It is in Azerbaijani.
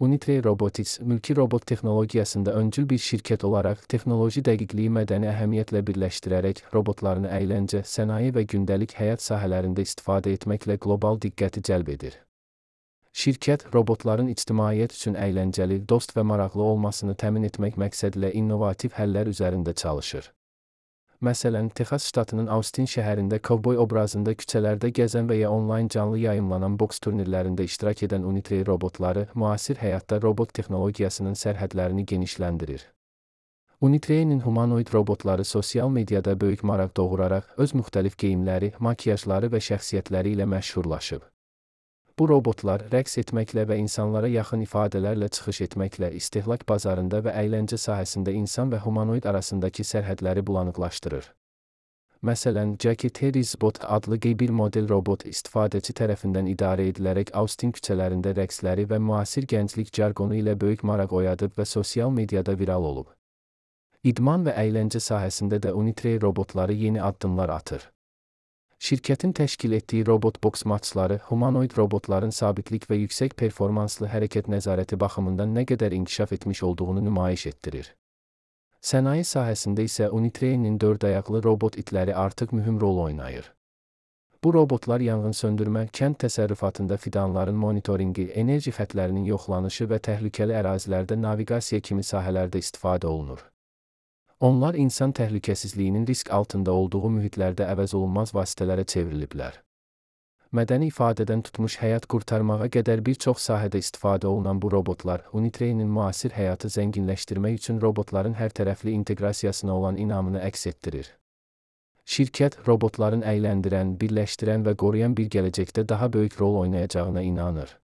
Unitree Robotics, mülki robot texnologiyasında öncül bir şirket olaraq texnoloji dəqiqliyi mədəni əhəmiyyətlə birləşdirərək robotlarını əyləncə, sənaye və gündəlik həyat sahələrində istifadə etməklə qlobal diqqəti cəlb edir. Şirkət, robotların ictimaiyyət üçün əyləncəli, dost və maraqlı olmasını təmin etmək məqsədilə innovativ həllər üzərində çalışır. Məsələn, Texas ştatının Austin şəhərində kovboy obrazında küçələrdə gəzən və ya onlayn canlı yayımlanan boks turnirlərində iştirak edən Unitree robotları, müasir həyatda robot texnologiyasının sərhədlərini genişləndirir. Unitree'nin humanoid robotları sosial mediada böyük maraq doğuraraq öz müxtəlif geyimləri, makiyajları və şəxsiyyətləri ilə məşhurlaşıb. Bu robotlar rəqs etməklə və insanlara yaxın ifadələrlə çıxış etməklə istehlak bazarında və əyləncə sahəsində insan və humanoid arasındakı sərhədləri bulanıqlaşdırır. Məsələn, Jackie Harris-Bot adlı bir model robot istifadəçi tərəfindən idarə edilərək Austin küçələrində rəqsləri və müasir gənclik jargonu ilə böyük maraq oyadıb və sosial mediada viral olub. İdman və əyləncə sahəsində də Unitree robotları yeni addımlar atır. Şirkətin təşkil etdiyi robot boks maçları, humanoid robotların sabitlik və yüksək performanslı hərəkət nəzarəti baxımından nə qədər inkişaf etmiş olduğunu nümayiş etdirir. Sənaye sahəsində isə Unitree'nin 4 ayaqlı robot itləri artıq mühüm rol oynayır. Bu robotlar yanğın söndürmə, kənd təsərrüfatında fidanların monitoringi, enerji xətlərinin yoxlanışı və təhlükəli ərazilərdə naviqasiya kimi sahələrdə istifadə olunur. Onlar insan təhlükəsizliyinin risk altında olduğu mühitlərdə əvəzolunmaz vasitələrə çevriliblər. Mədəni ifadədən tutmuş həyat qurtarmağa qədər bir çox sahədə istifadə olunan bu robotlar, Unitree'nin müasir həyatı zənginləşdirmək üçün robotların hərtərəfli inteqrasiyasına olan inamını əks etdirir. Şirkət, robotların əyləndirən, birləşdirən və qoruyan bir gələcəkdə daha böyük rol oynayacağına inanır.